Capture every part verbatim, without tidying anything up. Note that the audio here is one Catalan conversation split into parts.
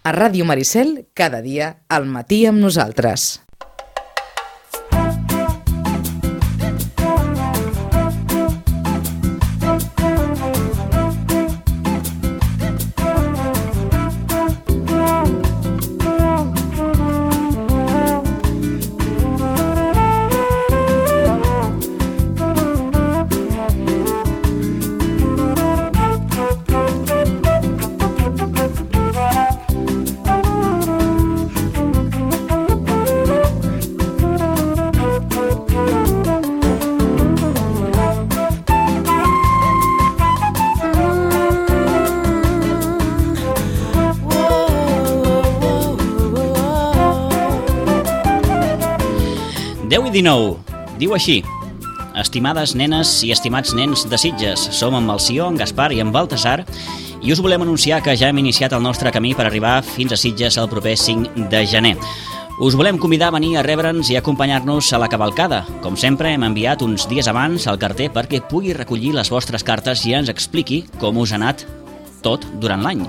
A Ràdio Maricel, cada dia, al matí amb nosaltres. deu i dinou, diu així: estimades nenes i estimats nens de Sitges, som amb el Sió, en Gaspar i en Baltasar i us volem anunciar que ja hem iniciat el nostre camí per arribar fins a Sitges el proper cinc de gener. Us volem convidar a venir a rebre'ns i acompanyar-nos a la cavalcada. Com sempre, hem enviat uns dies abans al carter perquè pugui recollir les vostres cartes i ens expliqui com us ha anat tot durant l'any.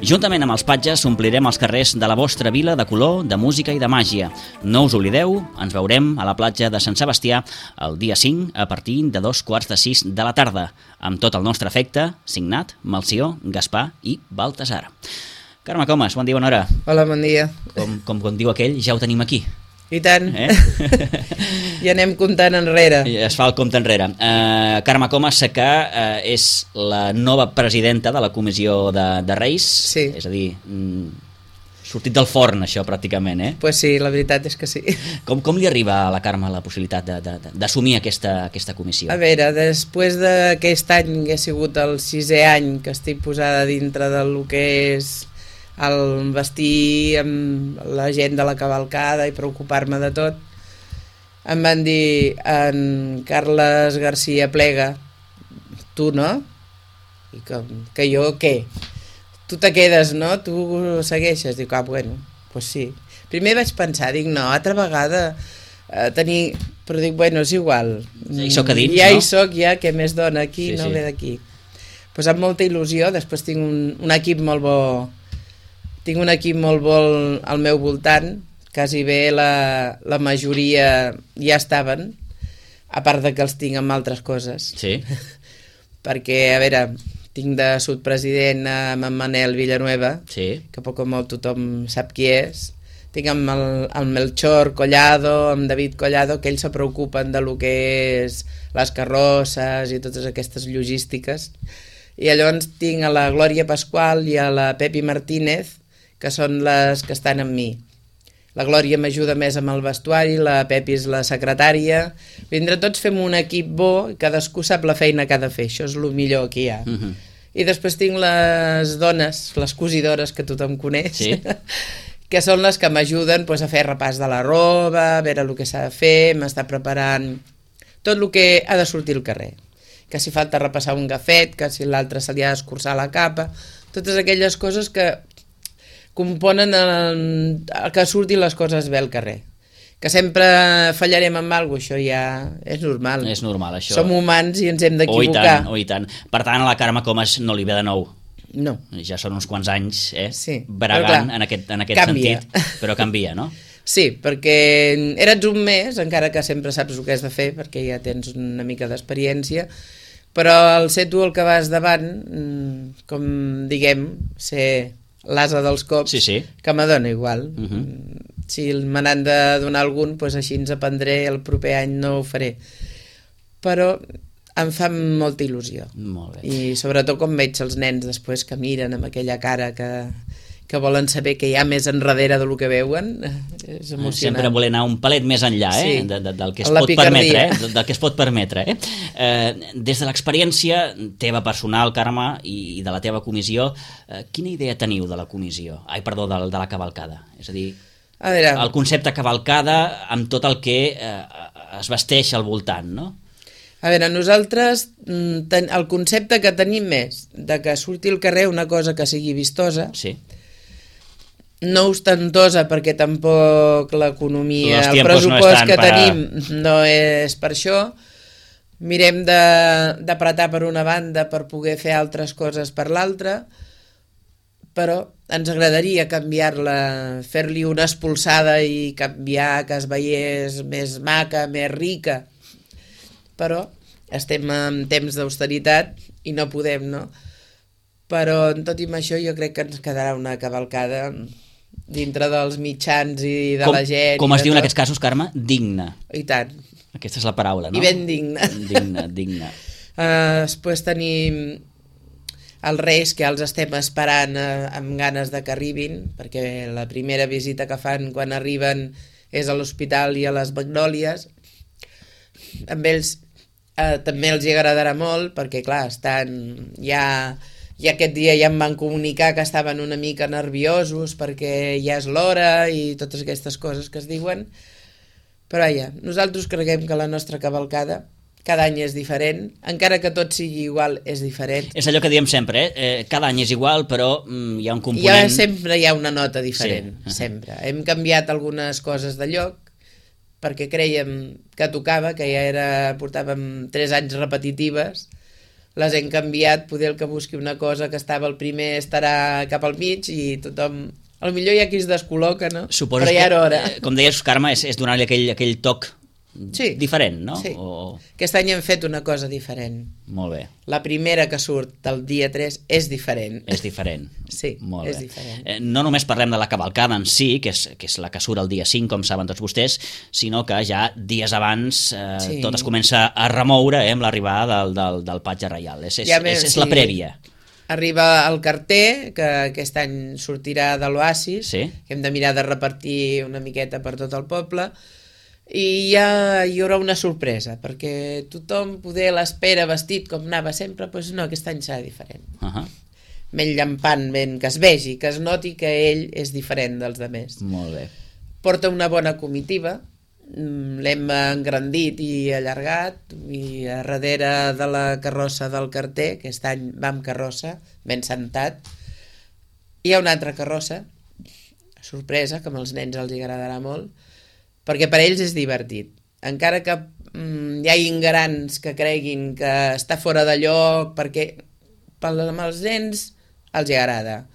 Juntament amb els patges omplirem els carrers de la vostra vila de color, de música i de màgia. No us oblideu, ens veurem a la platja de Sant Sebastià el dia cinc a partir de dos quarts de sis de la tarda. Amb tot el nostre afecte, signat Melcior, Gaspar i Baltasar. Carme Comas, bon dia, bona hora. Hola, bon dia. Com, com, com diu aquell, ja ho tenim aquí. I tant. Eh? Ja anem comptant enrere. Es fa el compte enrere. Uh, Carme Comas, que uh, és la nova presidenta de la Comissió de, de Reis. Sí. És a dir, mm, sortit del forn, això, pràcticament, eh? Pues sí, la veritat és que sí. Com, com li arriba a la Carme la possibilitat d'assumir aquesta, aquesta comissió? A veure, després d'aquest any que ha sigut el sisè any que estic posada dintre del que és el vestir amb la gent de la cavalcada i preocupar-me de tot, em van dir: en Carles García Plega, tu no? I que, que jo què? Tu te quedes, no? Tu segueixes? Dic, ah, bueno, pues sí. Primer vaig pensar, dic, no, altra vegada eh, tenir... Però dic, bueno, és igual. Ja hi soc a dins, ja no? hi soc, ja, què més dona aquí, Sí, no sí. ve d'aquí. Pues amb molta il·lusió, després tinc un, un equip molt bo. Tinc un equip molt bo al meu voltant, quasi bé la, la majoria ja estaven, a part de que els tinc amb altres coses. Sí. Perquè, a veure, tinc de subpresident amb en Manel Villanueva, Sí. que poc o molt tothom sap qui és. Tinc amb el, el Melchor Collado, amb David Collado, que ells se preocupen de lo que és les carrosses i totes aquestes logístiques. I llavors tinc a la Glòria Pasqual i a la Pepi Martínez, que són les que estan amb mi. La Glòria m'ajuda més amb el vestuari, la Pepi és la secretària. Entre tots fem un equip bo i cadascú sap la feina que ha de fer. Això és el millor que hi ha. Uh-huh. I després tinc les dones, les cosidores que tothom coneix, Sí. que són les que m'ajuden pues, a fer repàs de la roba, a veure el que s'ha de fer, m'està preparant tot el que ha de sortir al carrer. Que si falta repassar un gafet, que si l'altre se li ha d'escurçar la capa, totes aquelles coses que componen el, el que surtin les coses bé al carrer. Que sempre fallarem amb alguna cosa, això ja és normal. És normal, això. Som humans i ens hem Oh, i d'equivocar. tant, oh, i tant. Per tant, a la Carme Comas no li ve de nou. No. Ja són uns quants anys, eh? Sí, Bregant però clar, en aquest, en aquest canvia. sentit, però canvia, no? Sí, perquè eres un mes, encara que sempre saps el que has de fer, perquè ja tens una mica d'experiència, però al ser tu el que vas davant, com diguem, ser l'asa dels cops, Sí, sí. que m'adona igual. Uh-huh. Si me n'han de donar algun, doncs així ens aprendré, el proper any no ho faré. Però em fa molta il·lusió. Molt bé. I sobretot quan veig els nens després que miren amb aquella cara que, que volen saber què hi ha més enrere del que veuen, és emocionant. Sempre voler anar un palet més enllà, eh? Sí. De, de, del que es La pot picardia. permetre, eh? Del que es pot permetre, eh? eh des de l'experiència teva personal, Carme, i, i de la teva comissió, eh, quina idea teniu de la comissió? Ai, perdó, de, de la cavalcada. És a dir, A veure, el concepte cavalcada amb tot el que eh, es vesteix al voltant, no? a veure, nosaltres mm, ten, el concepte que tenim és de que surti al carrer una cosa que sigui vistosa, Sí. no ostentosa perquè tampoc l'economia, Los el tiempos no pressupost están que para- tenim no és per això. Mirem de- d'apretar per una banda per poder fer altres coses per l'altra, però ens agradaria canviar-la, fer-li una expulsada i canviar, que es veiés més maca, més rica, però estem en temps d'austeritat i no podem, no? Però tot i amb això jo crec que ens quedarà una cavalcada dintre dels mitjans i de com, la gent. Com es diu tot. En aquests casos, Carme? Digna. I tant. Aquesta és la paraula, no? I ben digna. Digna, digna. Uh, després tenim els Reis, que els estem esperant uh, amb ganes de que arribin, perquè la primera visita que fan quan arriben és a l'hospital i a les Magnòlies. Amb ells uh, també els hi agradarà molt, perquè clar, estan ja... I aquest dia ja em van comunicar que estaven una mica nerviosos perquè ja és l'hora i totes aquestes coses que es diuen. Però ja, nosaltres creiem que la nostra cavalcada cada any és diferent, encara que tot sigui igual, és diferent. És allò que diem sempre, eh? eh cada any és igual, però mm, hi ha un component... Ja sempre hi ha una nota diferent, sí. Sempre. Hem canviat algunes coses de lloc, perquè creiem que tocava, que ja era, portàvem tres anys repetitives, les hem canviat, poder el que busqui una cosa que estava al primer estarà cap al mig i tothom... A lo millor hi ha qui es descol·loca, no? Suposo però ja era hora. Que, com deies, Carme, és, és donar-li aquell, aquell toc sí. diferent, no? Sí. O... Aquest any hem fet una cosa diferent. Molt bé. La primera que surt del dia tres és diferent. És diferent. Sí, Molt és bé. diferent. Eh, no només parlem de la cavalcada en si, que és, que és la que surt el dia cinc, com saben tots vostès, sinó que ja dies abans eh, sí. tot es comença a remoure eh, amb l'arribada del, del, del patge reial. És, és, ja és, és sí. la prèvia. Arriba el carter, que aquest any sortirà de l'Oasis, sí. que hem de mirar de repartir una miqueta per tot el poble, i ja hi haurà una sorpresa, perquè tothom poder l'espera vestit com anava sempre, doncs no, aquest any serà diferent. Uh -huh. Ben llampant, ben, que es vegi, que es noti que ell és diferent dels altres. Molt bé. Porta una bona comitiva, l'hem engrandit i allargat, i a darrere de la carrossa del carter, aquest any va amb carrossa, ben sentat, hi ha una altra carrossa, sorpresa, que als nens els agradarà molt, perquè per ells és divertit. Encara que mm, hi hagi grans que creguin que està fora de lloc, perquè amb els nens els agrada.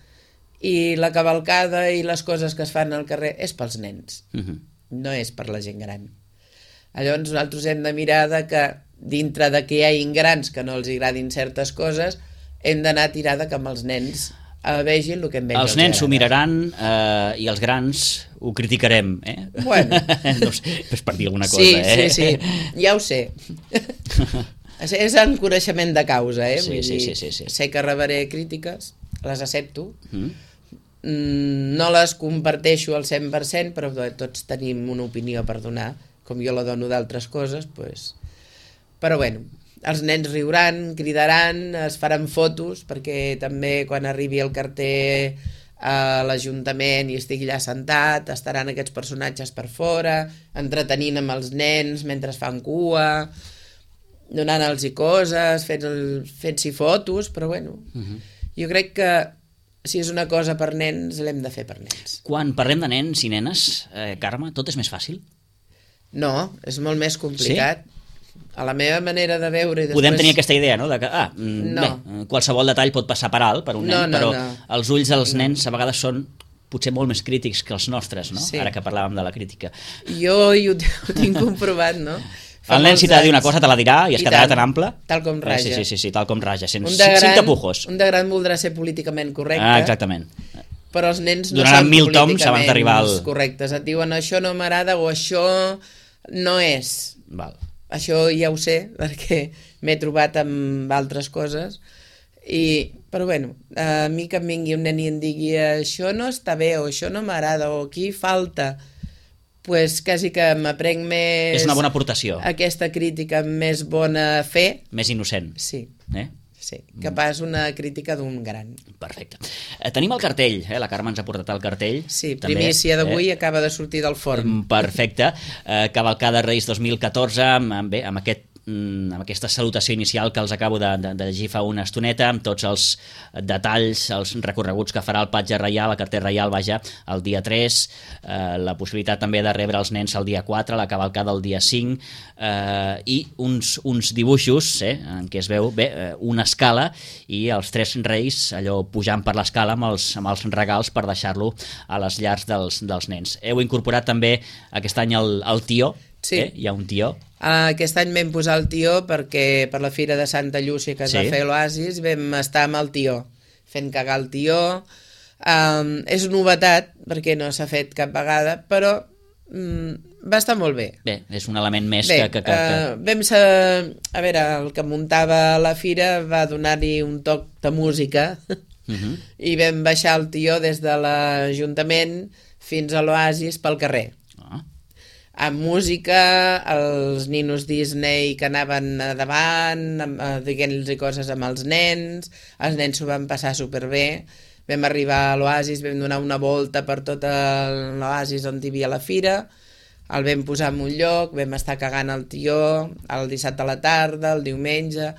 I la cavalcada i les coses que es fan al carrer és pels nens. Uh-huh. No és per la gent gran. Llavors nosaltres hem de mirar de que dintre de que hi hagi grans que no els agradin certes coses, hem d'anar a tirar de que amb els nens eh, vegin el que amb ells els nens s'ho miraran eh, i els grans ho criticarem, eh? Bueno. No sé, és per dir alguna cosa, sí, eh? Sí, sí, ja ho sé. És en coneixement de causa, eh? Sí, Vull sí, dir, sí, sí, sí. Sé que rebré crítiques, les accepto, mm. no les comparteixo al cent per cent, però tots tenim una opinió per donar, com jo la dono d'altres coses, doncs... Però bueno, els nens riuran, cridaran, es faran fotos, perquè també quan arribi el carter a l'Ajuntament i estigui allà sentat, estaran aquests personatges per fora, entretenint amb els nens mentre fan cua, donant-los coses, fent-s'hi fent fotos, però bueno, uh-huh. jo crec que si és una cosa per nens, l'hem de fer per nens. Quan parlem de nens i nenes, eh, Carme, tot és més fàcil? No, és molt més complicat. Sí? A la meva manera de veure... I després... Podem tenir aquesta idea, no? De que, ah, no. bé, qualsevol detall pot passar per alt per un no, nen, no, però no. els ulls dels nens a vegades són potser molt més crítics que els nostres, no? Sí. Ara que parlàvem de la crítica. Jo hi ho, ho tinc comprovat, no? Fa el nen, si t'ha de dir una cosa, te la dirà i es I quedarà tan ample. Tal com raja. Sí, sí, sí, sí tal com raja, sense, gran, sense tapujos. Un de gran voldrà ser políticament correcte. Ah, exactament. Però els nens no donaran són mil toms abans d'arribar al... correctes. Et diuen això no m'agrada o això no és. Val. Això ja ho sé, perquè m'he trobat amb altres coses. I, però bueno, a mi que em vingui un nen i em digui això no està bé o això no m'agrada o aquí falta... pues quasi que m'aprenc més... És una bona aportació. Aquesta crítica amb més bona fe. Més innocent. Sí. Eh? Sí, que pas una crítica d'un gran. Perfecte. Eh, tenim el cartell, eh? La Carme ens ha portat el cartell. Sí, primícia d'avui, eh? Acaba de sortir del forn. Perfecte. Eh, Cavalcada Reis dos mil catorze, amb, amb, bé, amb aquest amb aquesta salutació inicial que els acabo de, de, de llegir fa una estoneta, amb tots els detalls, els recorreguts que farà el patge reial, el carter reial, vaja, el dia tres, eh, la possibilitat també de rebre els nens el dia quatre, la cavalcada el dia cinc, eh, i uns, uns dibuixos eh, en què es veu bé, una escala i els tres reis allò pujant per l'escala amb els, amb els regals per deixar-lo a les llars dels, dels nens. Heu incorporat també aquest any el, el tió, sí. eh? Hi ha un tió. Aquest any vam posar el tió perquè per la Fira de Santa Llúcia que es sí. va fer a l'Oasis vam estar amb el tió, fent cagar el tió. Um, és novetat perquè no s'ha fet cap vegada, però um, va estar molt bé. Bé, és un element més bé, que... que, que, que... Uh, vam ser, a veure, el que muntava la fira va donar-hi un toc de música uh-huh. i vam baixar el tió des de l'Ajuntament fins a l'Oasis pel carrer. Ah. Amb música, els ninos Disney que anaven davant, dient-los coses amb els nens, els nens s'ho van passar superbé. Vam arribar a l'Oasis, vam donar una volta per tot l'Oasis on hi havia la fira, el vam posar en un lloc, vam estar cagant el tió el dissabte a la tarda, el diumenge,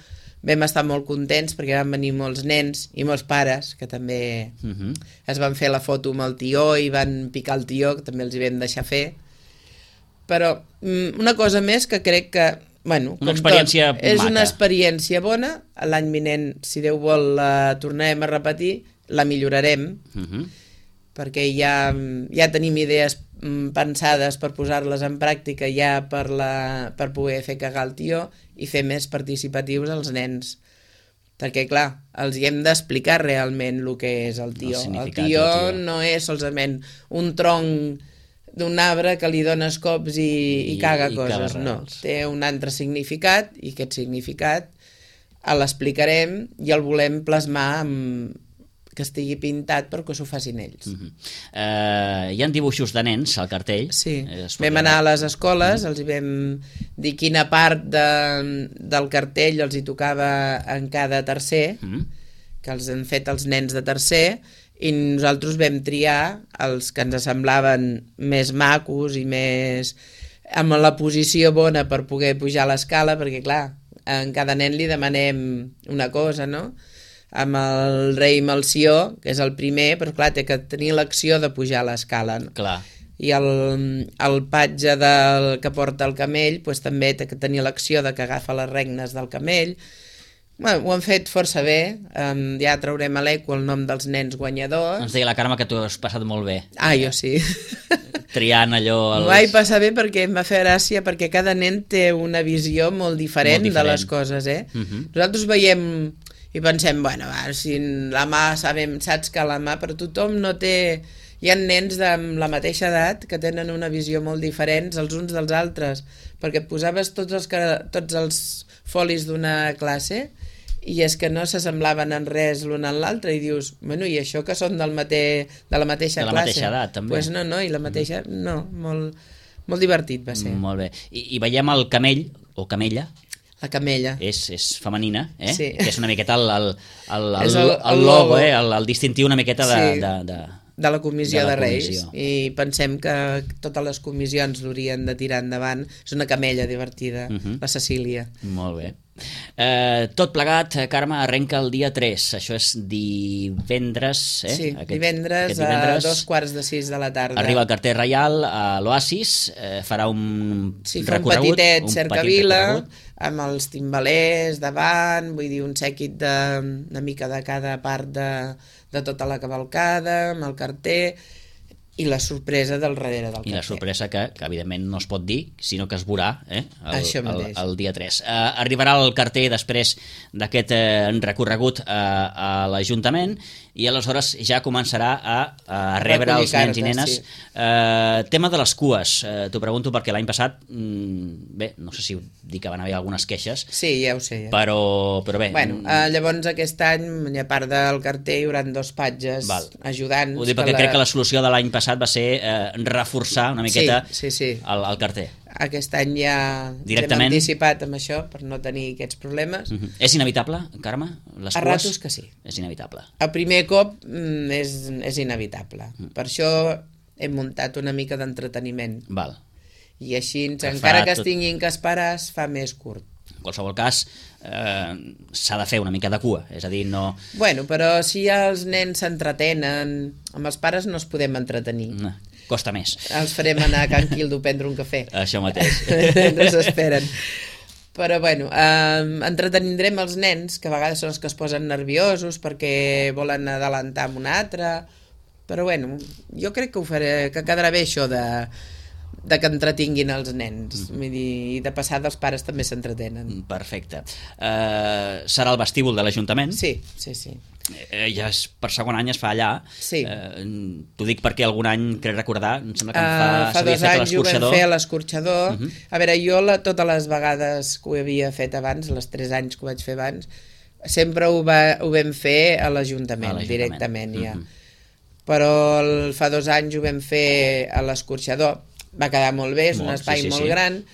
vam estar molt contents perquè van venir molts nens i molts pares que també uh-huh. es van fer la foto amb el tió i van picar el tió, que també els hi vam deixar fer. Però una cosa més que crec que, bueno, una experiència tot, és maca. Una experiència bona, l'any vinent, si Déu vol, la tornarem a repetir, la millorarem, uh-huh. perquè ja, ja tenim idees pensades per posar-les en pràctica ja per, la, per poder fer cagar el tió i fer més participatius als nens. Perquè, clar, els hi hem d'explicar realment el que és el tió. El, el tió no és solament un tronc d'un arbre que li dones cops i, i, i caga i coses, no. Té un altre significat i aquest significat l'explicarem i el volem plasmar amb que estigui pintat perquè s'ho facin ells. Uh-huh. uh, hi ha dibuixos de nens al cartell? Sí, eh, vam anar a les escoles, uh-huh. els hi vam dir quina part de, del cartell els hi tocava en cada tercer, uh-huh. que els han fet els nens de tercer, i nosaltres vam triar els que ens semblaven més macos i més amb la posició bona per poder pujar l'escala, perquè clar, en cada nen li demanem una cosa, no? Amb el rei Melcior, que és el primer, però clar, té que tenir l'acció de pujar l'escala. No? Clar. I el, el patge del, que porta el camell pues, també té que tenir l'acció de que agafa les regnes del camell. Bueno, ho han fet força bé, um, ja traurem a l'eco el nom dels nens guanyadors. Ens deia la Carme que tu has passat molt bé. Ah, jo sí. Triant allò... Els... M'ho vaig passar bé perquè em va fer gràcia, perquè cada nen té una visió molt diferent, molt diferent. de les coses, eh? Uh-huh. Nosaltres veiem i pensem, bueno, va, si la mà sabem, saps que la mà, però tothom no té... Hi ha nens de la mateixa edat que tenen una visió molt diferent els uns dels altres, perquè posaves tots els, tots els folis d'una classe i és que no s'assemblaven en res l'un en l'altre i dius, bueno, i això que són del mate... de la mateixa de la classe? mateixa edat, també. Pues no, no, i la mateixa... No, molt, molt divertit va ser. Molt bé. I, i veiem el camell, o camella, la camella. És, és femenina, eh? Sí. Que és una miqueta el, el, el, el, el, el, el logo, eh? el, el distintiu una miqueta de... Sí. de, de... de la comissió de, de la Reis comissió. I pensem que totes les comissions l'haurien de tirar endavant. És una camella divertida, uh-huh. la Cecília. Molt bé. Eh, tot plegat, Carme, arrenca el dia tres, això és divendres, eh? Sí, aquest, divendres, aquest divendres a dos quarts de sis de la tarda. arriba el carter reial a l'Oasis, eh, farà un sí, recorregut, un petitet un cercavila petit amb els timbalers davant, vull dir un sèquit de, una mica de cada part de, de tota la cavalcada, amb el carter i la sorpresa del darrere del carter. I la sorpresa que, que evidentment no es pot dir, sinó que es veurà eh, el, el, el dia tres. Uh, arribarà el carter després d'aquest uh, recorregut uh, a l'Ajuntament i aleshores ja començarà a, a rebre els nens i nenes. Sí. Uh, tema de les cues, uh, t'ho pregunto perquè l'any passat, mm, bé, no sé si dir que van haver algunes queixes. Sí, ja ho sé. Ja. Però, però bé. Bueno, uh, llavors aquest any, a part del carter, hi haurà dos patges Val. ajudants. Ho dic perquè la... crec que la solució de l'any passat va ser eh, reforçar una miqueta sí, sí, sí. El, el carter. Aquest any ja Directament... hem anticipat amb això per no tenir aquests problemes. Uh-huh. És inevitable, Carme? Les a cues? ratos que sí. És inevitable. El primer cop mm, és, és inevitable. Uh-huh. Per això hem muntat una mica d'entreteniment. Val. I així, que encara que es tinguin que esperar, es fa més curt. En qualsevol cas, eh, s'ha de fer una mica de cua, és a dir, no... Bueno, però si els nens s'entretenen, amb els pares no els podem entretenir. No, costa més. Els farem anar a Can Quildo a prendre un cafè. Això mateix. No s'esperen. Però, bueno, eh, entretenindrem els nens, que a vegades són els que es posen nerviosos perquè volen adelantar amb un altre, però, bueno, jo crec que ho faré, que quedarà bé això de, de que entretinguin els nens. Mm. Vull dir, i de passada els pares també s'entretenen. Perfecte. Uh, serà el vestíbul de l'Ajuntament? Sí, sí, sí. Eh, ja és, per segon any es fa allà. Sí. Eh, T'ho dic perquè algun any, crec recordar, em sembla que em fa, uh, fa dos anys ho vam fer a l'escorxador. Uh -huh. A veure, jo la, totes les vegades que ho havia fet abans, les tres anys que ho vaig fer abans, sempre ho, va, ho vam fer a l'Ajuntament, directament, ja. Uh -huh. Però el, fa dos anys ho vam fer a l'escorxador. Va quedar molt bé, és molt, un espai sí, sí, molt sí. gran,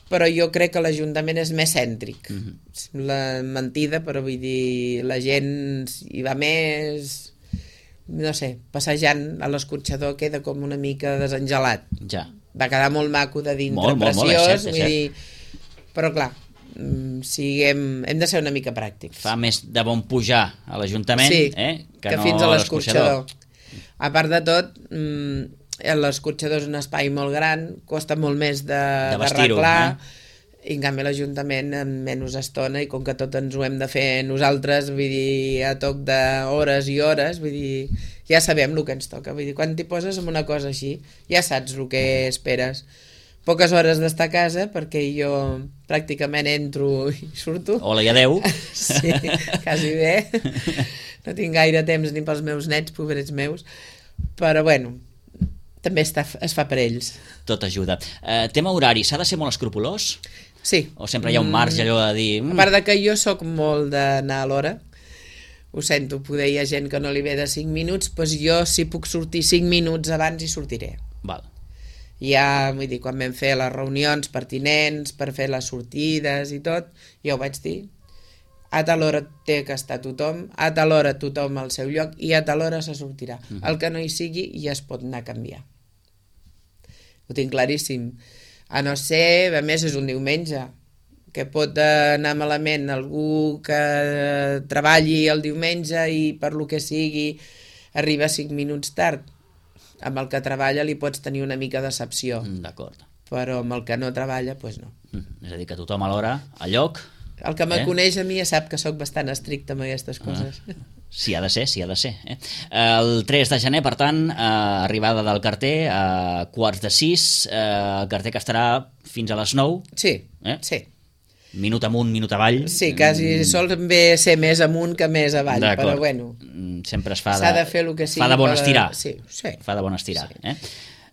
però jo crec que l'Ajuntament és més cèntric. Uh -huh. La mentida, però vull dir, la gent hi va més, no sé, passejant a l'escorxador queda com una mica desengelat. Ja. Va quedar molt maco de dintre, molt, preciós, molt, molt, és cert, és vull dir, però clar, siguem, hem de ser una mica pràctics. Fa més de bon pujar a l'Ajuntament sí, eh, que, que no fins a l'escorxador. l'escorxador. A part de tot, l'escorxador és un espai molt gran, costa molt més de, de, de arreglar, eh? I en canvi l'Ajuntament en menys estona, i com que tot ens ho hem de fer nosaltres, vull dir, a toc d'hores i hores, vull dir, ja sabem el que ens toca, vull dir, quan t'hi poses en una cosa així, ja saps el que esperes. Poques hores d'estar a casa, perquè jo pràcticament entro i surto. Hola i adeu. Sí, quasi bé. No tinc gaire temps ni pels meus nets, pobrets meus, però bueno, també està, es fa per ells. Tot ajuda. Uh, tema horari, s'ha de ser molt escrupolós? Sí. O sempre hi ha un marge allò de dir... Mm. A part de que jo sóc molt d'anar a l'hora, ho sento, poder hi ha gent que no li ve de cinc minuts, doncs jo si puc sortir cinc minuts abans hi sortiré. Val. Ja, vull dir, quan vam fer les reunions pertinents per fer les sortides i tot, ja ho vaig dir, a tal hora té que estar tothom, a tal hora tothom al seu lloc i a tal hora se sortirà. Uh-huh. El que no hi sigui ja es pot anar a canviar. Ho tinc claríssim. A no ser, a més és un diumenge, que pot anar malament algú que treballi el diumenge i per lo que sigui arriba cinc minuts tard. Amb el que treballa li pots tenir una mica de decepció. D'acord. Però amb el que no treballa, doncs no. És a dir, que tothom a l'hora, a lloc... El que me eh? coneix a mi ja sap que sóc bastant estricte amb aquestes coses. Ah. Sí, ha de ser, sí, ha de ser. Eh? El tres de gener, per tant, eh, arribada del carter a quarts de sis, eh, el carter que estarà fins a les nou. Sí, eh? sí. Minut amunt, minut avall. Sí, quasi sol bé ser més amunt que més avall, però bueno. Sempre es fa de... S'ha de fer el que sigui. Fa de bon estirar. Sí, sí. Fa de bon estirar, sí. eh?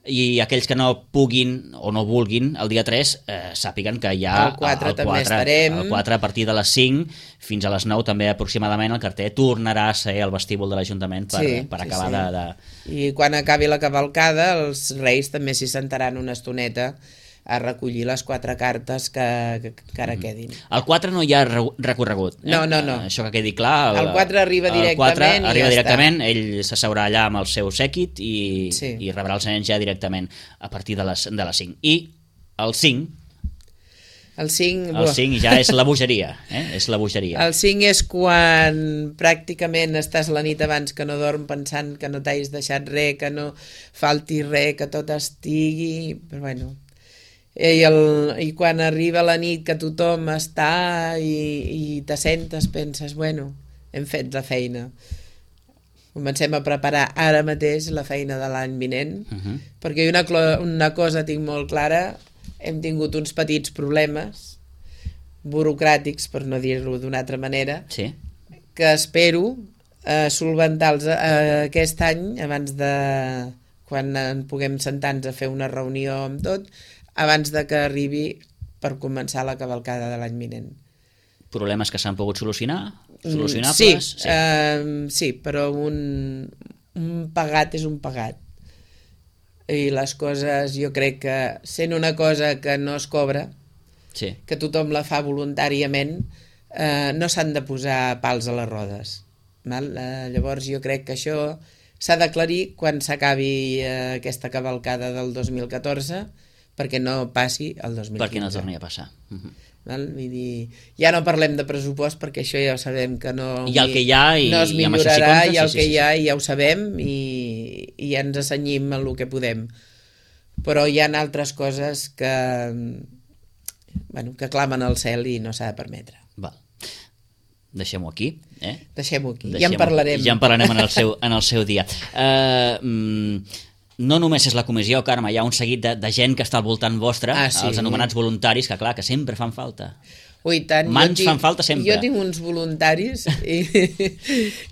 I aquells que no puguin o no vulguin el dia tres eh, sàpiguen que hi ha el quatre el també estarem. El quatre a partir de les cinc fins a les nou també aproximadament el carter tornarà a ser el vestíbul de l'Ajuntament per, sí, per acabar sí, sí. De, de... I quan acabi la cavalcada els reis també s'hi sentaran una estoneta a recollir les quatre cartes que, que, que ara quedin. El quatre no hi ha recorregut. Eh? No, no, no. Això que quedi clar. El, el quatre arriba directament el quatre i arriba ja directament, està. Ell s'asseurà allà amb el seu sèquit i, sí. i rebrà els nens ja directament a partir de les, de les cinc. I el cinc... El cinc... El cinc ja és la bogeria, eh? És la bogeria. El cinc és quan pràcticament estàs la nit abans que no dorm pensant que no t'hais deixat res, que no falti res, que tot estigui... Però bueno... I, el, i quan arriba la nit que tothom està i, i te sentes, penses, bueno, hem fet la feina. Comencem a preparar ara mateix la feina de l'any vinent, uh-huh. perquè una, una cosa tinc molt clara, hem tingut uns petits problemes burocràtics, per no dir-ho d'una altra manera, sí. que espero eh, solventar-los eh, aquest any, abans de quan en puguem sentar-nos a fer una reunió amb tot, abans de que arribi per començar la cavalcada de l'any vinent. Problemes que s'han pogut solucionar? Solucionables? Sí, sí. Uh, sí, però un, un pagat és un pagat. I les coses, jo crec que sent una cosa que no es cobra, sí. que tothom la fa voluntàriament, uh, no s'han de posar pals a les rodes. Val? Uh, llavors jo crec que això... s'ha d'aclarir quan s'acabi uh, aquesta cavalcada del dos mil catorze, perquè una cosa perquè no passi el dos mil quinze. Perquè no torni a passar. Uh-huh. Val? Vull dir, ja no parlem de pressupost perquè això ja ho sabem que no, I el que hi ha i, no es i amb això millorarà, s'hi compta, i el sí, que sí, sí, hi ha ja ho sabem i, i ja ens assenyim en el que podem, però hi ha altres coses que bueno, que clamen al cel i no s'ha de permetre. Val. Deixem-ho aquí, eh? Deixem-ho aquí, Deixem ja en parlarem. Ja en parlarem en el seu, en el seu dia. Uh, mm, no només és la comissió, Carme, hi ha un seguit de, de gent que està al voltant vostre, ah, sí. els anomenats voluntaris, que clar, que sempre fan falta. Ui, tant. Mans tinc, fan falta sempre. Jo tinc uns voluntaris i,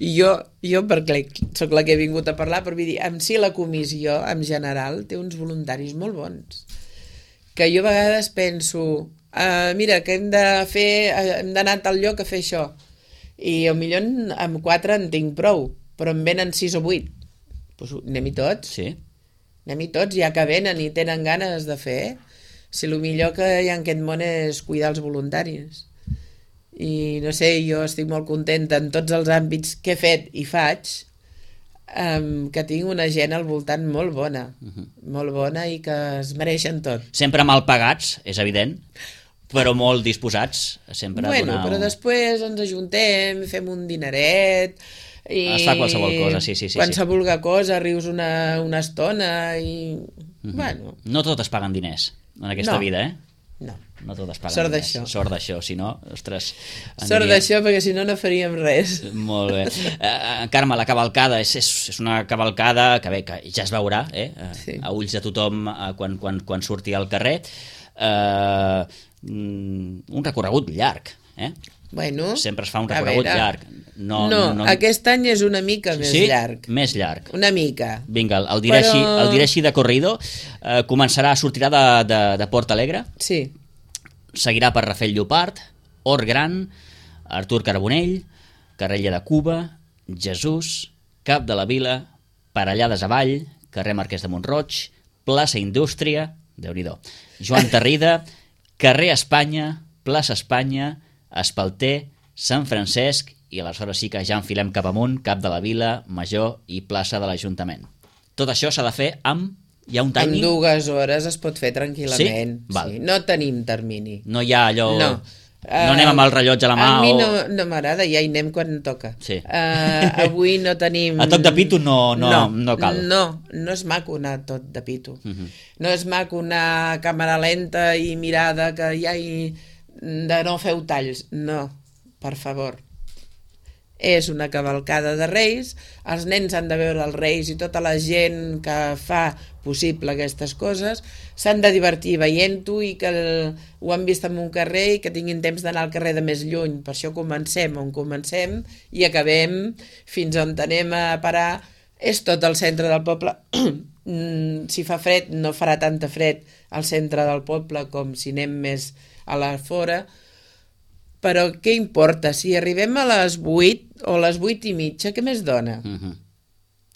i jo, jo perquè sóc la que he vingut a parlar, però vull dir, en si la comissió en general té uns voluntaris molt bons, que jo a vegades penso uh, mira, que hem de fer hem d'anar a tal lloc a fer això i potser amb quatre en tinc prou, però en venen sis o vuit, doncs anem-hi tots. Sí. Anem-hi tots, ja que venen i tenen ganes de fer. Si el millor que hi ha en aquest món és cuidar els voluntaris. I no sé, jo estic molt contenta en tots els àmbits que he fet i faig, um, que tinc una gent al voltant molt bona, uh-huh. molt bona i que es mereixen tot. Sempre mal pagats, és evident, però molt disposats sempre bueno, a donar... Però després ens ajuntem, fem un dineret... I es fa qualsevol cosa, sí, sí, sí. Qualsevol sí. cosa, rius una, una estona i... Mm-hmm. Bueno. No tot es paguen diners en aquesta no. vida, eh? No. No tot es paguen Sort diners. d'això. Sort d'això, si no, ostres... Aniria... Sort d'això, perquè si no, no faríem res. Molt bé. Uh, Carme, la cavalcada és, és, és una cavalcada que bé, que ja es veurà, eh? Uh, sí. A ulls de tothom uh, quan, quan, quan surti al carrer. Uh, un recorregut llarg, eh? Bueno, sempre es fa un recorregut llarg. No, no, no, aquest any és una mica més sí? llarg. Més llarg. Una mica. Vinga, el diré, Però... així, el diré així de corrido. Eh, començarà, sortirà de, de, de Port Alegre. Sí. Seguirà per Rafel Llopart, Hort Gran, Artur Carbonell, Carrella de Cuba, Jesús, Cap de la Vila, Parellades avall, carrer Marquès de Montroig, plaça Indústria, Déu-n'hi-do, Joan Tarrida, carrer Espanya, plaça Espanya, Espalter, Sant Francesc, i aleshores sí que ja enfilem cap amunt, Cap de la Vila, Major i plaça de l'Ajuntament. Tot això s'ha de fer amb... Hi ha un timing? En dues hores es pot fer tranquil·lament. Sí? Val. Sí. No tenim termini. No hi ha allò... No. No anem amb el rellotge a la mà a mi o... no, no m'agrada, ja hi anem quan toca. Sí. Uh, avui no tenim... A toc de pito no, no, no, no cal. No, no és maco anar tot de pito. Uh uh-huh. -huh. No és maco anar a càmera lenta i mirada que ja hi... de no feu talls. No, per favor. És una cavalcada de Reis, els nens han de veure els Reis i tota la gent que fa possible aquestes coses s'han de divertir veient-ho i que el, ho han vist en un carrer i que tinguin temps d'anar al carrer de més lluny. Per això comencem on comencem i acabem fins on anem a parar. És tot el centre del poble. Si fa fred, no farà tanta fred al centre del poble com si anem més a la fora. Però què importa? Si arribem a les vuit o a les vuit i mitja, què més dona? Uh-huh.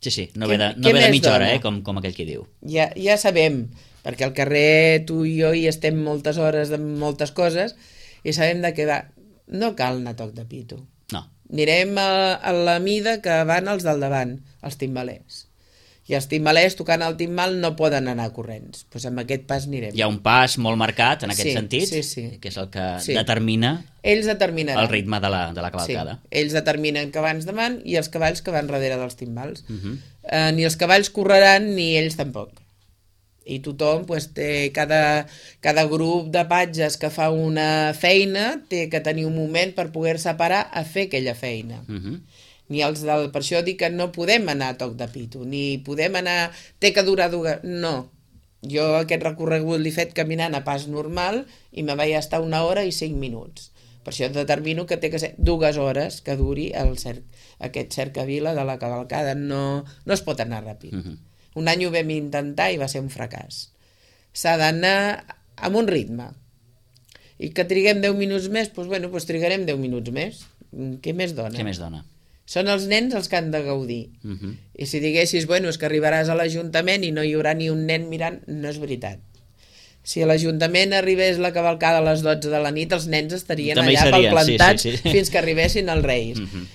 Sí, sí, no ve de, no ve de mitja hora, eh? com, com aquell que diu. Ja, ja sabem, perquè al carrer tu i jo hi estem moltes hores de moltes coses i sabem de què va. No cal anar a toc de pito. No. Anirem a, a la mida que van els del davant, els timbalers. I els timbalers tocant el timbal no poden anar corrents. Doncs pues amb aquest pas anirem. Hi ha un pas molt marcat en aquest sí, sentit, sí, sí. que és el que sí. determina Ells determinaran. el ritme de la, de la cavalcada. Sí. Ells determinen que abans davant i els cavalls que van darrere dels timbals. Uh-huh. eh, ni els cavalls correran ni ells tampoc. I tothom, pues, té, cada, cada grup de patges que fa una feina té que tenir un moment per poder-se parar a fer aquella feina. Uh-huh. Ni els del... Per això dic que no podem anar a toc de pito, ni podem anar... Té que durar... durar... No. Jo aquest recorregut l'he fet caminant a pas normal i me vaig estar una hora i cinc minuts. Per això determino que té que ser dues hores que duri el cer... aquest cercavila de la cavalcada. No, no es pot anar ràpid. Uh-huh. Un any ho vam intentar i va ser un fracàs. S'ha d'anar amb un ritme. I que triguem deu minuts més, doncs, bueno, doncs trigarem deu minuts més. Què més dona? Què més dona? Són els nens els que han de gaudir. Uh-huh. I si diguessis, bueno, és que arribaràs a l'Ajuntament i no hi haurà ni un nen mirant, no és veritat. Si a l'Ajuntament arribés la cavalcada a les dotze de la nit, els nens estarien també allà serien, plantats sí, sí, sí. fins que arribessin els Reis. Uh-huh.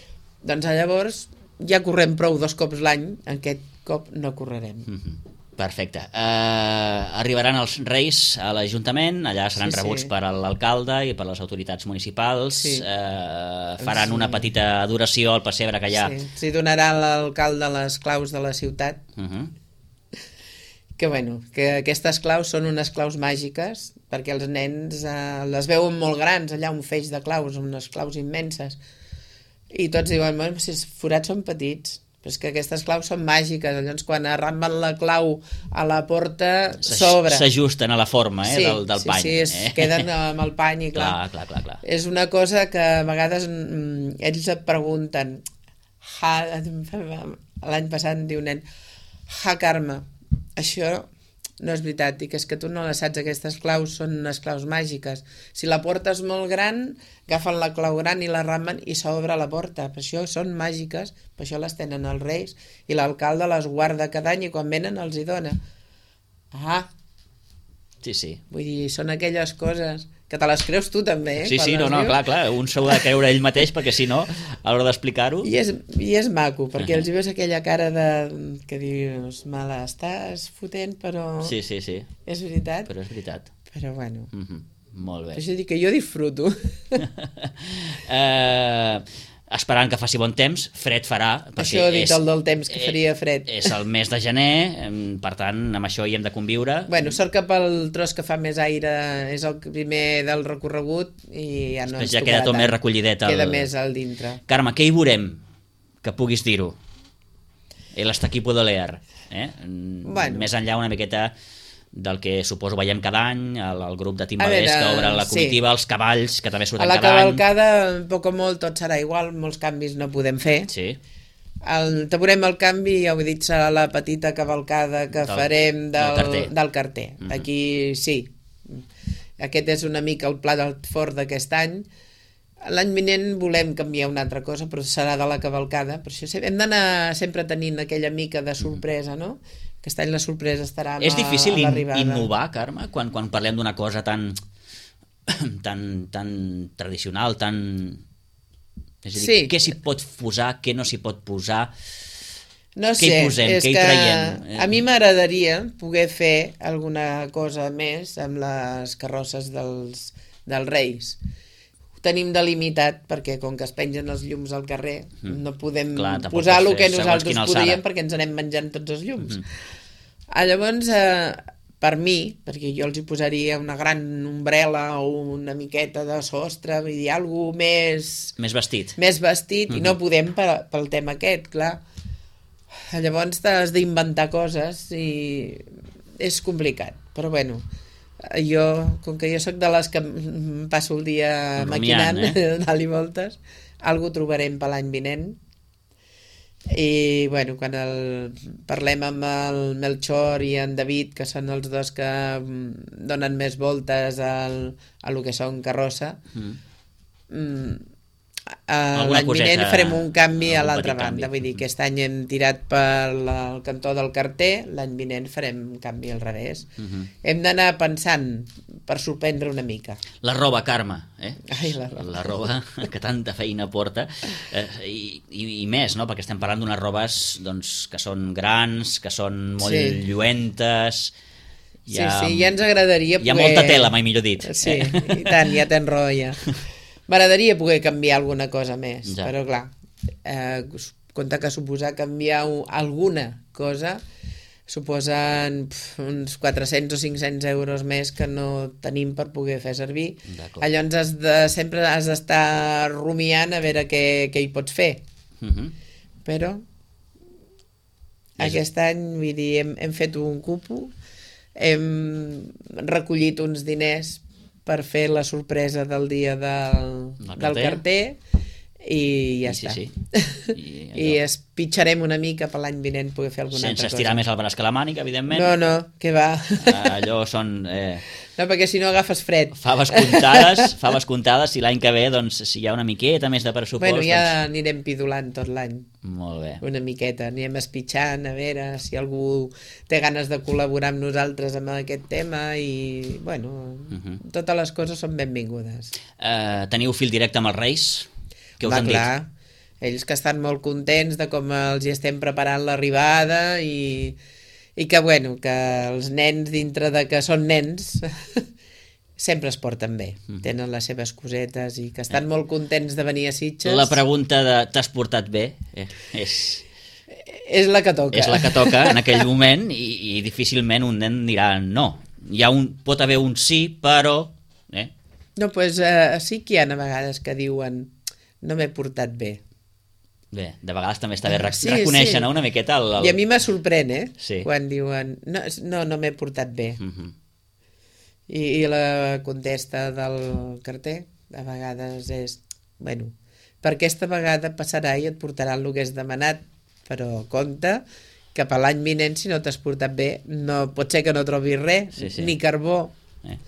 Doncs llavors ja correm prou dos cops l'any, aquest cop no correrem. Uh-huh. Perfecte. Uh, arribaran els Reis a l'Ajuntament, allà seran Sí, sí. rebuts per l'alcalde i per les autoritats municipals, Sí. uh, faran Sí. una petita adoració al pessebre que hi ha. Sí, sí, donarà a l'alcalde les claus de la ciutat, Uh -huh. que bueno, que aquestes claus són unes claus màgiques, perquè els nens eh, les veuen molt grans, allà un feix de claus, unes claus immenses, i tots diuen, bueno, si els forats són petits, però és que aquestes claus són màgiques, llavors quan arramben la clau a la porta s'obre. S'ajusten a la forma eh, sí, del, del sí, pany. Sí, es eh? queden amb el pany i clar. Clar, clar, clar, clar. És una cosa que a vegades mm, ells et pregunten, ha, l'any passat em diu un nen, ha, Carme, això no és veritat, dic, és que tu no les saps, aquestes claus són unes claus màgiques. Si la porta és molt gran, agafen la clau gran i la ramen i s'obre la porta. Per això són màgiques, per això les tenen els Reis, i l'alcalde les guarda cada any i quan venen els hi dona. Ah, Sí, sí. vull dir, són aquelles coses que te les creus tu també, eh? Sí, quan sí, no, les no, dius. clar, clar, un s'ho ha de creure ell mateix perquè si no, a l'hora d'explicar-ho... I és, I és maco, perquè Uh-huh. els hi veus aquella cara de... que dius, me l'estàs fotent, però Sí, sí, sí, és veritat. però és veritat. Però bueno, Uh -huh. Molt bé. per això dic que jo disfruto. eh, esperant que faci bon temps, fred farà. perquè Això he dit és- el del temps, que faria fred. És el mes de gener, em, per tant, amb això hi hem de conviure. Bueno, sort que pel tros que fa més aire és el primer del recorregut i ja no Després ens ja tocarà queda tot tant. més recollidet el- Queda més al dintre. Carme, què hi veurem? Que puguis dir-ho. El hasta aquí puedo leer. Eh? Mm, Bueno. Més enllà una miqueta del que suposo veiem cada any, el, el grup de A timbaders veure, que obre la sí. comitiva, els cavalls, que també A surten la cada any. cavalcada, poc o molt, tot serà igual, molts canvis no podem fer. Sí. El, te veurem el canvi, ja ho he dit, serà la petita cavalcada que Del- farem del, del carter. del carter. Mhm. Aquí sí. Aquest és una mica el pla del fort d'aquest any. L'any vinent volem canviar una altra cosa, però serà de la cavalcada. Per això se- hem d'anar sempre tenint aquella mica de sorpresa, no? Aquest any la sorpresa estarà amb És difícil a in, l'arribada. innovar, Carme, quan, quan parlem d'una cosa tan, tan, tan tradicional, tan... És a dir, Sí. què s'hi pot posar, què no s'hi pot posar... No Què hi sé, posem, és què hi que traiem? a mi m'agradaria poder fer alguna cosa més amb les carrosses dels, dels Reis. Ho tenim delimitat perquè com que es pengen els llums al carrer Mm. no podem Clar, tampoc posar pots el que fer segons nosaltres quina alçada. podríem perquè ens anem menjant tots els llums. Mhm. Ah, llavors, eh, per mi, perquè jo els hi posaria una gran ombrela o una miqueta de sostre, vull dir, alguna més Més vestit. més vestit, i no Mhm. podem per, pel tema aquest, clar. Llavors t'has d'inventar coses i és complicat, però bueno, jo, com que jo sóc de les que em passo el dia Rumiant, maquinant, eh? dalt i voltes, algú trobarem per l'any vinent. I bueno, quan el, parlem amb el Melchor i en David, que són els dos que mm, donen més voltes al, a lo que són carrossa, Mm. mm, Alguna l'any coseta, vinent farem un canvi a algun l'altra petit canvi. banda, vull dir que aquest any hem tirat per la, el cantó del carter, l'any vinent farem un canvi al revés. Mhm. Hem d'anar pensant per sorprendre una mica. La roba, Carme, eh? Ai, la roba. la roba que tanta feina porta, eh, i, i, i més, no? Perquè estem parlant d'unes robes doncs, que són grans, que són molt Sí. lluentes... Sí, sí, ja ens agradaria Hi ha poder... molta tela, mai millor dit. Sí, eh? i tant, ja tens raó, ja. M'agradaria poder canviar alguna cosa més, Ja. però clar, eh, compte que suposar canviar u- alguna cosa suposen pf, uns quatre-cents o cinc-cents euros més que no tenim per poder fer servir. D'acord. Llavors has de, sempre has d'estar rumiant a veure què, què hi pots fer. Mhm. Però És- aquest any, vull dir, hem, hem fet un cupo, hem recollit uns diners per fer la sorpresa del dia del, Del del carter. carter i ja I sí, està. sí. I I, allò. es pitjarem una mica per l'any vinent poder fer alguna Sense altra estirar cosa. més el braç que la mànica, evidentment. No, no, que va. Allò són... Eh, No, perquè si no agafes fred. faves comptades, faves comptades, i l'any que ve, doncs, si hi ha una miqueta més de pressupost... Bueno, ja doncs... anirem pidolant tot l'any. Molt bé. Una miqueta, anirem espitxant a veure si algú té ganes de col·laborar amb nosaltres amb aquest tema i, bueno, Mhm. totes les coses són benvingudes. Eh, teniu fil directe amb els Reis? Què us Va, han clar, ells que estan molt contents de com els hi estem preparant l'arribada i, I que, bueno, que els nens, dintre de que són nens, sempre es porten bé. Mm. Tenen les seves cosetes i que estan eh. molt contents de venir a Sitges. La pregunta de t'has portat bé eh, és... És la que toca. És la que toca en aquell moment i, i difícilment un nen dirà no. Hi ha un, pot haver un sí, però... Eh? No, doncs pues, uh, sí que hi ha a vegades que diuen no m'he portat bé. Bé, de vegades també està bé rec sí, reconèixer sí. no, una miqueta el, el... I a mi me sorprèn, eh? Sí. Quan diuen no, no, no m'he portat bé. Uh -huh. I, I la contesta del carter a vegades és bueno, per aquesta vegada passarà i et portaran el que has demanat, però compte que per l'any vinent, si no t'has portat bé, no, pot ser que no trobis res, sí, sí. ni carbó. Eh.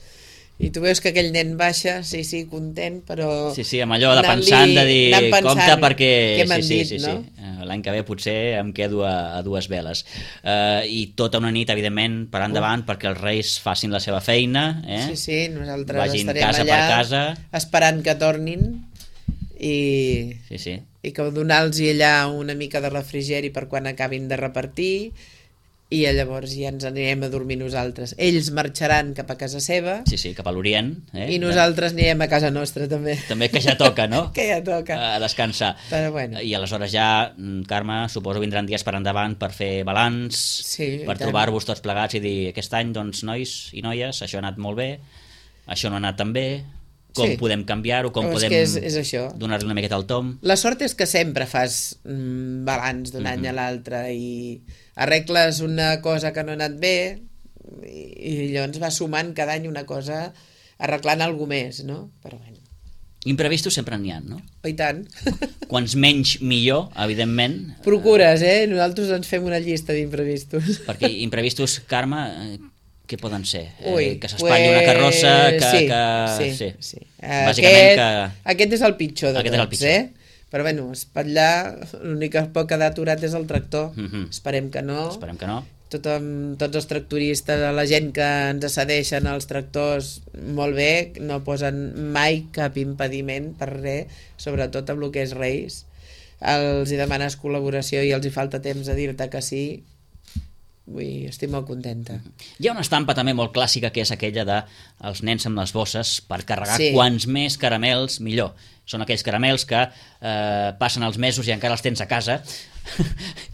I tu veus que aquell nen baixa, sí, sí, content, però... Sí, sí, amb allò de pensant, de dir, pensant, compte perquè... Què m'han sí, dit, sí, sí, no? sí. L'any que ve potser em quedo a, a dues veles. Uh, I tota una nit, evidentment, per endavant, uh. perquè els Reis facin la seva feina, eh? Sí, sí, nosaltres vagin estarem casa allà per casa. esperant que tornin i... Sí, sí. i que donar-los allà una mica de refrigeri per quan acabin de repartir i llavors ja ens anirem a dormir nosaltres. Ells marxaran cap a casa seva. Sí, sí, cap a l'Orient. Eh? I nosaltres anirem a casa nostra també. També que ja toca, no? Que ja toca. A descansar. Però bueno. I aleshores ja, Carme, suposo vindran dies per endavant per fer balanç, sí, per trobar-vos tots plegats i dir aquest any, doncs, nois i noies, això ha anat molt bé, això no ha anat tan bé, com sí. podem canviar-ho, com oh, podem donar-li una miqueta al tom. La sort és que sempre fas mm, balanç d'un mm -hmm. any a l'altre i arregles una cosa que no ha anat bé i, i llavors vas sumant cada any una cosa arreglant alguna més, no? Però bueno. Imprevistos sempre n'hi ha, no? Oh, i tant. Quants menys, millor, evidentment. Procures, eh? Nosaltres ens fem una llista d'imprevistos. Perquè imprevistos, Carme... què poden ser? Ui, eh, que s'espatlli pues... una carrossa que... Sí, que... sí, sí. sí. Bàsicament aquest, que... aquest és el pitjor de aquest tots, és el pitjor. eh? Però bueno, espatllar, l'únic que pot quedar aturat és el tractor. Mm -hmm. Esperem que no. Esperem que no. Tothom, tots els tractoristes, la gent que ens cedeixen els tractors, molt bé, no posen mai cap impediment per res, sobretot amb el que és Reis. Els hi demanes col·laboració i els hi falta temps a dir-te que sí. Ui, estic molt contenta. Hi ha una estampa també molt clàssica que és aquella de els nens amb les bosses per carregar sí. quants més caramels millor. Són aquells caramels que eh, passen els mesos i encara els tens a casa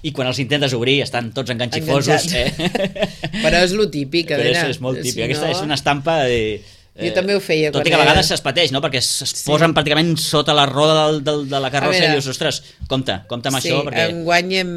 i quan els intentes obrir estan tots enganxifosos. Eh? Però és lo típic. Però és, és molt típic. Si Aquesta no... és una estampa... De... Jo també ho feia. Tot i que a vegades es pateix, no? Perquè es sí. posen pràcticament sota la roda del, del, de la carrossa veure, i dius, ostres, compte, compte amb sí, això. Perquè... enguany hem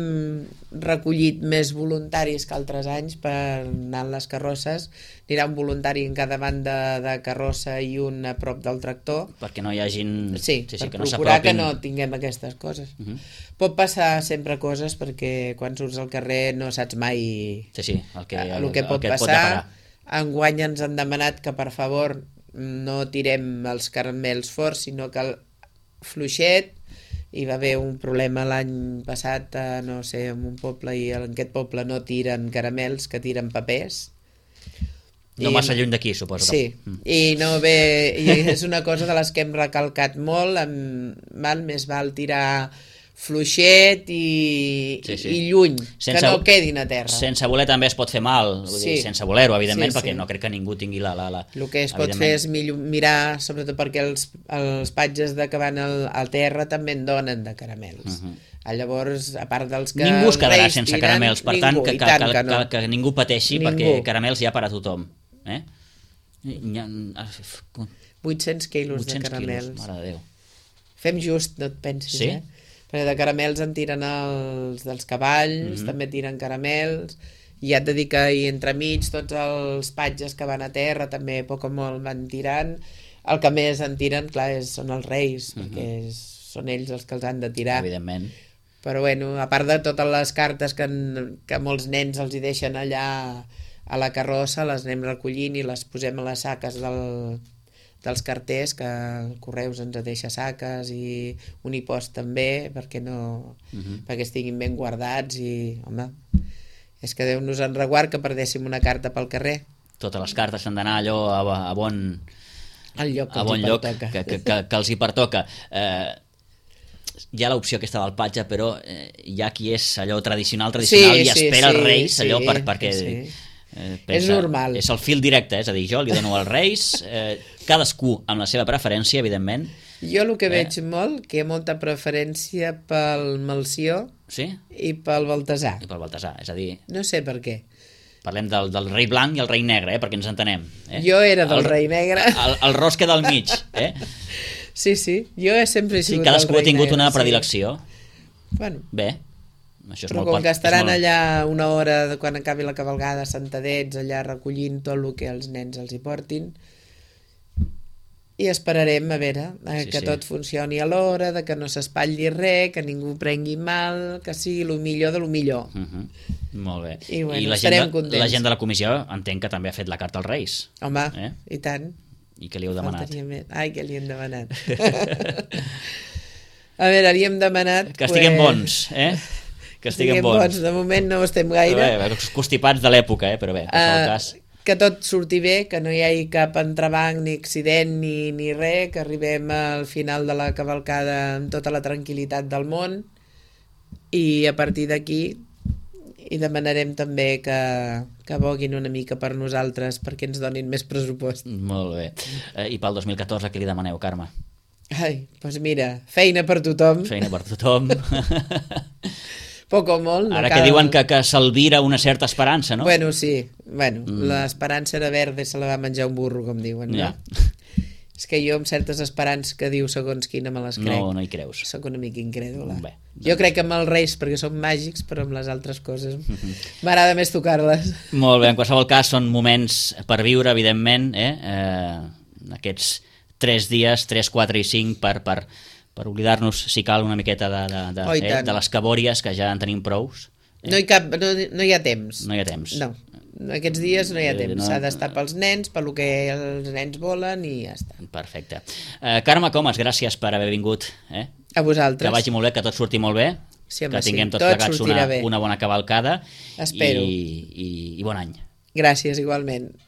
recollit més voluntaris que altres anys per anar en les carrosses. Anirà un voluntari en cada banda de carrossa i un a prop del tractor. Perquè no hi hagin... Sí, sí, sí, per que no procurar que no tinguem aquestes coses. Uh -huh. Pot passar sempre coses perquè quan surts al carrer no saps mai sí, sí, el que, el, el que pot el que passar. Pot Enguany ens han demanat que per favor no tirem els caramels forts, sinó que el fluixet. Hi va haver un problema l'any passat, a, no sé, en un poble, i en aquest poble no tiren caramels, que tiren papers. No I, massa lluny d'aquí, suposo. Sí, mm. i no ve, i és una cosa de les que hem recalcat molt, amb, val, més val tirar fluixet i, sí, sí. i lluny, sense, que no quedin a terra. Sense voler també es pot fer mal, vull dir, sí. sense voler-ho, evidentment, sí, perquè sí. no crec que ningú tingui la... la, la el que es pot fer és mirar, sobretot perquè els, els patges de que van al, al terra també en donen de caramels. Uh -huh. Llavors, a part dels que... Ningú es quedarà sense tiren, caramels, per ningú, tant, que, que, tant que, que, no. que, que ningú pateixi, ningú. Perquè caramels hi ha per a tothom. Eh? vuit-cents quilos vuit-cents de caramels. Quilos, mare de Déu. Fem just, no et pensis, sí? eh? Perquè de caramels en tiren els dels cavalls, mm -hmm. també tiren caramels, i ja et dic que hi entremig tots els patges que van a terra també a poc o molt van tirant. El que més en tiren, clar, és, són els Reis, mm -hmm. perquè és, són ells els que els han de tirar. Evidentment. Però bueno, a part de totes les cartes que, en, que molts nens els hi deixen allà a la carrossa, les anem recollint i les posem a les saques del, dels carters, que el Correus ens deixa saques i Unipost també, perquè no uh -huh. perquè estiguin ben guardats i, home, és que Déu nos en reguard que perdéssim una carta pel carrer. Totes les cartes han d'anar allò a, a bon, al lloc que, a bon lloc que, que, que, que els hi pertoca. Eh, hi ha l'opció aquesta del patge, però eh, hi ha qui és allò tradicional, tradicional sí, i sí, espera sí, els Reis, sí, allò per, perquè... sí. Eh, pensa, és normal. És el fil directe, és a dir, jo li dono als Reis, eh, cadascú amb la seva preferència, evidentment. Jo el que eh? veig molt, que hi ha molta preferència pel Melcior sí? i pel Baltasar. I pel Baltasar, és a dir... No sé per què. Parlem del, del rei blanc i el rei negre, eh, perquè ens entenem. Eh? Jo era del el, rei negre. El, el ros que del mig. Eh? Sí, sí, jo sempre he sigut sí, cadascú el rei ha tingut negre, una sí. predilecció. Bueno, Bé, això és però molt... com que estaran molt... allà una hora de quan acabi la cavalgada sentadets allà recollint tot el que els nens els hi portin, i esperarem a veure eh, Sí, que sí. tot funcioni a l'hora, de que no s'espatlli res, que ningú prengui mal, que sigui el millor de lo millor. Uh -huh. Molt bé. I, bueno, I la estarem gent, de, contents. la gent de la comissió entenc que també ha fet la carta als Reis. Home, Eh? i tant. I què li heu demanat? Faltaria més. Ai, que li hem demanat. A veure, li hem demanat... Que estiguem pues, bons, eh? Que estiguem bons. De moment no ho estem gaire. Bé, bé, constipats de l'època, eh? Però bé, en qualsevol Uh, cas... que tot surti bé, que no hi hagi cap entrebanc ni accident ni, ni res, que arribem al final de la cavalcada amb tota la tranquil·litat del món, i a partir d'aquí i demanarem també que, que voguin una mica per nosaltres perquè ens donin més pressupost. Molt bé. Eh, I pel dos mil catorze què li demaneu, Carme? Ai, doncs mira, feina per tothom, Feina per tothom. poc o molt. No Ara cal... que diuen que, que s'alvira una certa esperança, no? Bueno, sí, bueno, Mm. l'esperança era verda i se la va menjar un burro, com diuen, no? Ja. És que jo amb certes esperances que diu segons quina me les crec. No, no hi creus. Soc una mica incrèdula. Bé, Jo crec que amb els reis, perquè són màgics, però amb les altres coses m'agrada més tocar-les. Molt bé, en qualsevol cas són moments per viure, evidentment, eh? Eh, aquests tres dies, tres, quatre i cinc, per, per, per oblidar-nos, si cal, una miqueta de, de, de, Oh, i eh? tant. de les cabòries, que ja en tenim prous. No hi, cap, no, no hi ha temps. No hi ha temps. No, aquests dies no hi ha Eh, temps. no- S'ha d'estar pels nens, per lo que els nens volen i ja està. Perfecte. Eh, Carme Comas, gràcies per haver vingut. Eh? A vosaltres. Que vagi molt bé, que tot surti molt bé, Sí, home, que tinguem sí. tots Tot plegats sortirà una, bé. una bona cavalcada Espero. i, i, i bon any. Gràcies, igualment.